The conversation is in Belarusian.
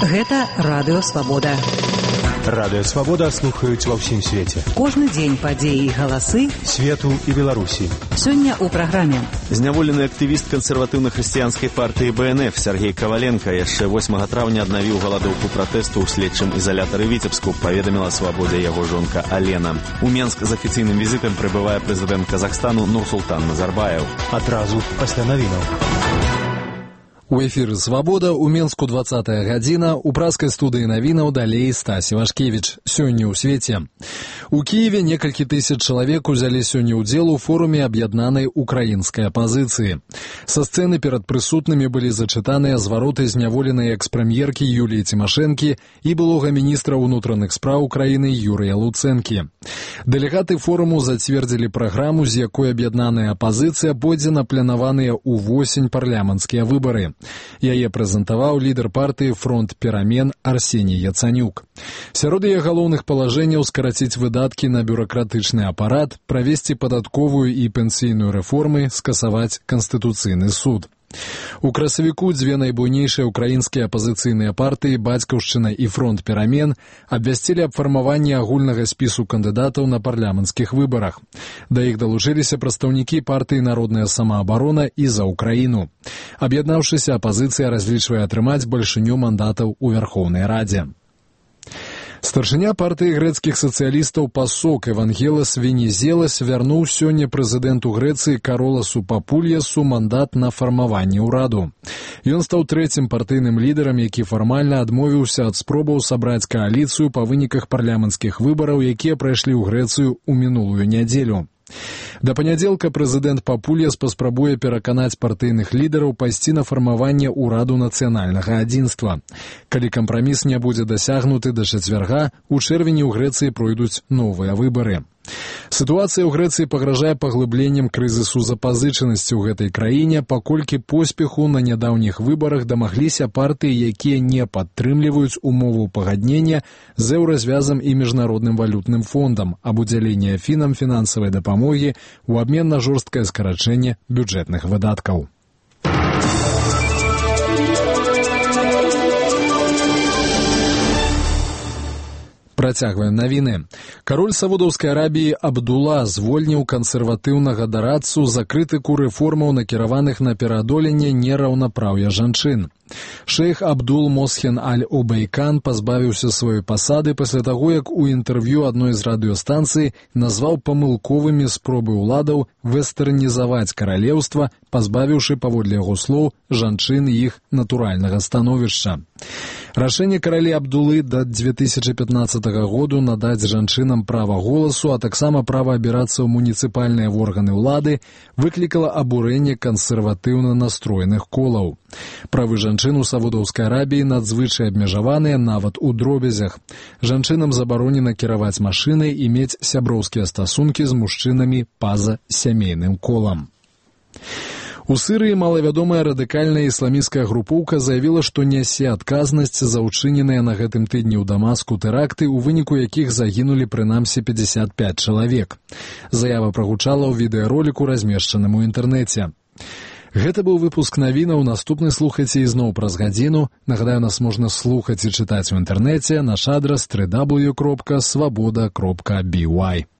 Гэта Радыё Свабода. Радыё Свабода слухаюць ва ўсім свеце. Кожны дзень падзеі і галасы свету і Беларусі. Сёння ў праграме. Зняволены актывіст кансерватыўна-хрысціянскай партыі БНФ Сергей Коваленко яшчэ 8 траўня аднавіў галадоўку пратэсту ў следчым ізалятары Віцебску, паведаміла Свабодзе яго жонка Алена. У Менск з афіцыйным візітам прыбывае прэзідэнт Казахстану Нурсултан Назарбаев. Адразу пасля навінаў. У эфіры «Свабода» у Менску 20-я гадзіна, у праскай студыі навінаў далей Стась Івашкевіч. Сёння ў свеце. У Кіеве некалькі тысяч чалавек узялі сёння ўдзел у форуме аб'яднанай украінскай апазіцыі. Са сцэны перад прысутнымі былі зачытаныя звароты зняволенай экс-прэм'еркі Юліі Цімашэнкі і былога міністра ўнутраных спраў краіны Юрыя Луцэнкі. Дэлегаты форуму зацвердзілі праграму, з якой аб'яднаная апазіцыя пойдзе на планаваныя ўвосень парламенцкія выбары. Яе прэзентаваў лідар партыі «Фронт перамен» Арсеній Яцанюк. Сярод яе галоўных палажэнняў скараціць выдаткі на бюракратычны апарат, правесці падатковую і пенсійную рэформы, скасаваць Канстытуцыйны суд. У красавіку дзве найбуйнейшыя украінскія апазіцыйныя партыі «Бацькаўшчына» і «Фронт перамен» абвясцілі аб фармаванні агульнага спісу кандыдатаў на парламенцкіх выбарах. Да іх далучыліся прадстаўнікі партыі «Народная самаабарона» і «За Украіну». Аб'яднаўшыся, апазіцыя разлічвае атрымаць бальшыню мандатаў у Вярхоўнай Радзе. Старшыня партыі грэцкіх сацыялістаў ПАСОК Евангелас Венізелас вярнуў сёння прэзідэнту Грэцыі Кароласу Папульясу мандат на фармаванне ўраду. Ён стаў трэцім партыйным лідарам, які фармальна адмовіўся ад спробаў сабраць кааліцыю па выніках парламенцкіх выбараў, якія прайшлі ў Грэцыю ў мінулую нядзелю. Да панядзелка прэзідэнт Папульяс паспрабуе пераканаць партыйных лідараў пайсці на фармаванне ўраду нацыянальнага адзінства. Калі кампраміс не будзе дасягнуты да чацвярга, у чэрвені ў Грэцыі пройдуць новыя выбары. Сітуацыя ў Грэцыі пагражае паглыбленнем крызісу запазычанасці ў гэтай краіне, паколькі поспеху на нядаўніх выбарах дамагліся партыі, якія не падтрымліваюць умову пагаднення з еўразвязам і міжнародным валютным фондам аб удзяленні Афінам фінансавай дапамогі ў абмен на жорсткае скарачэнне бюджэтных выдаткаў. Працягваем навіны. Кароль Саудаўскай Арабіі Абдула звольніў кансерватыўнага дарадцу за крытыку рэформаў, накіраваных на пераадоленне нераўнапраўя жанчын. Шэйх Абдул Мосхен Аль-Обейкан пазбавіўся сваёй пасады пасля таго, як у інтэрв'ю адной з радыёстанцый назваў памылковымі спробы ўладаў вестэрнізаваць каралеўства, пазбавіўшы, паводле яго слоў, жанчын іх натуральнага становішча. Рашэнне каралі Абдулы да 2015 году надаць жанчынам права голасу, а таксама права абірацца ў муніцыпальныя органы ўлады выклікала абурэнне кансерватыўна настроеных колаў. Правы жанчын у Саудаўскай Арабіі надзвычай абмежаваныя нават у дробязях. Жанчынам забаронена кіраваць машынай і мець сяброўскія стасункі з мужчынамі па-за сямейным колам. У Сырыі малавядомая радыкальная ісламісцкая групоўка заявіла, што нясе адказнасць за ўчыненыя на гэтым тыдні ў Дамаску тэракты, у выніку якіх загінулі прынамсі 55 чалавек. Заява прагучала ў відэароліку, размешчаным у інтэрнэце. Гэта быў выпуск навінаў, наступны слухайце ізноў праз гадзіну. Нагадаю, нас можна слухаць і чытаць у інтэрнэце, наш адрас www.swaboda.by.